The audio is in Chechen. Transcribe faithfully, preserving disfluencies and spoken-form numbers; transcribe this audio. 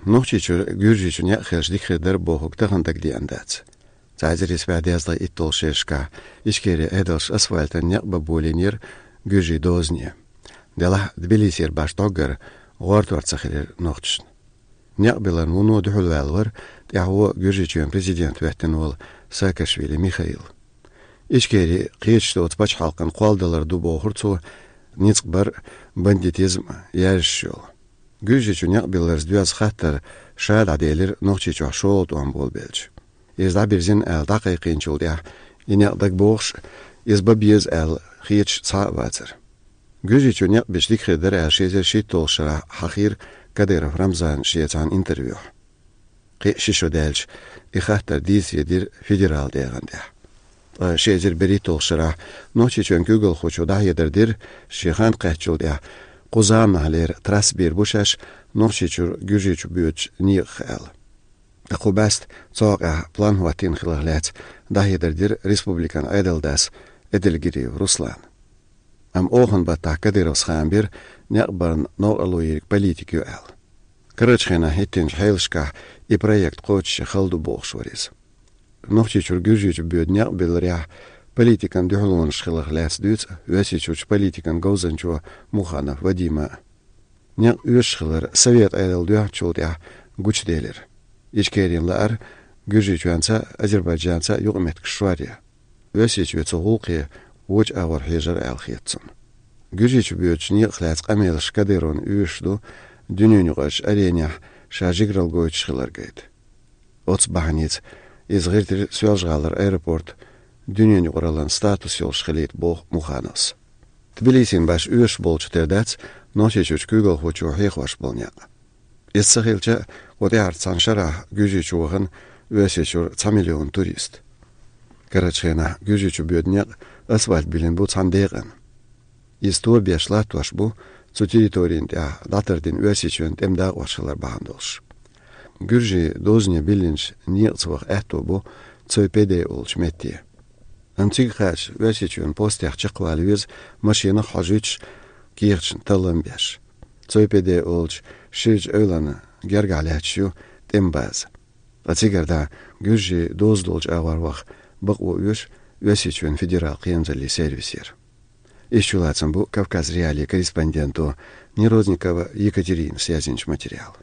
Нохчийчуьра Гуьржийчу некъ хилча дика хир дара бохург тахан дагадеана дац. Цхьа эзар исс бӀе дезткъе итталгӀа шерашкахь Ичкерин Ӏедалша асфальтан некъ бан болийнера гуьржийн дозане. Делахь Тбилисера башха дӀоггара гӀортор ца хилира нохчашна. Некъ билларна вуно дуьхьалваьлла вара тӀаьхьо Гуьржийчоьнан президент хӀоьттина волу Саакашвили Михаил. Ичкери кхеташ доцу пачхьалкхан кхолладалар ду бохура цо, ницкъ бар, бандитизм яьржаш йолу. Гуьржийчу некъ билларца доьзна хаттар ша дӀаделира Нохчийчохь шолгӀа тӀом болабелча. Иза дӀабирзина аьлла дӀакхайкхийначул тӀаьхьа и некъ дагабогӀуш, иза бан беза аьлла хеташ цхьа а вацара. Гуьржийчу некъ бича дика хир дара аьлла ши эзар шийтталгӀачу шарахь хьахийра Кадыров Рамзана шен цхьана интервьюхь. Кхин а ши шо даьлча, и хаттар дийцаре дира федерал дегӀан тӀехь. Ткъа ши эзар берхӀитталгӀачу шарахь Нохчийчоьнан куьйгалхочо дӀахьедар дира, шен хан кхаьчначул тӀаьхьа кху заманахьлера трасса бийр бу шаьш Нохчийчуьра Гуьржийчу боьдучу некъах аьлла. Ткъа кху бӀаьста цу хьокъехь план хӀоттийна хиларх лаьцна дӀахьедар дира республикан Ӏедалан дас Эдельгериев Руслана. Амма охан баттахь Кадыровс хаам бира, некъ барна новкъарло йийриг политика ю аьлла. Карарчу хенахь хӀиттинчу хьелашкахь и проект кхочуш хала ду бохуш вара иза. Нохчийчуьра Гуьржийчу боьду некъ билларехь политикан дуьхьалонаш хиларх лаьцна дуьйцу Оьрсийчуьрчу политикан говзанчо Муханов Вадима. Некъ оьшуш хилар Совет Ӏедал доьхначул тӀаьхьа гучуделира. Ичкерин лаар Гуьржийчоьнца, Азербайджанца юкъаметтигаш шоръян. Оьрсийчоь цу гӀуллакхе вочу агӀор хьежар аьлла хета цунна. Гуьржийчу боьдучу некъах лаьцна къамелаш Кадыровна оьшуш ду, дуьненаюкъарчу аренехь ша жигаралла гойтуш хилар гайта. Оцу бахьаница иза гӀиртира Соьлжа-ГӀалара аэропорт дуьненаюкъараллин статус йолуш хилийта, боху Мухановс. Тбилисина башха оьшуш болчух тера дац Нохчийчуьрчу куьйгалхочо хьехош болу некъ. Иза ца хилча, кху тӀаьхьарчу цхьана шарахь Гуьржийчу вахана Оьрсийчуьра цхьа миллион турист. Карарчу хенахь Гуьржийчу боьду некъ асфальт биллина бу цхьана декъана. Иза тобеш латтош бу цу территорина тӀехь дӀатардина Оьрсийчоьнан тӀеман дакъош хилар бахьана долуш. Гуьржийн дозане биллинчу некъаца ваха аьтто бу Цой-Педей олучу метте. Амма цига кхача Оьрсийчоьнан постех чекхвала веза машинах а хьожуьйтуш, кехаташна таллам а беш. Цой-Педей олучу ширачу эвлана гергахь лаьтташ ю тӀеман база. Ткъа цигара дӀа гуьржийн доза долчу агӀор ваха бакъо оьшу Оьрсийчоьнан федерал кхерамзаллин сервисера. Иштта чулацам бу Кавказ.Реалии корреспонденто Нерозникова Екатеринас язйинчу материалан.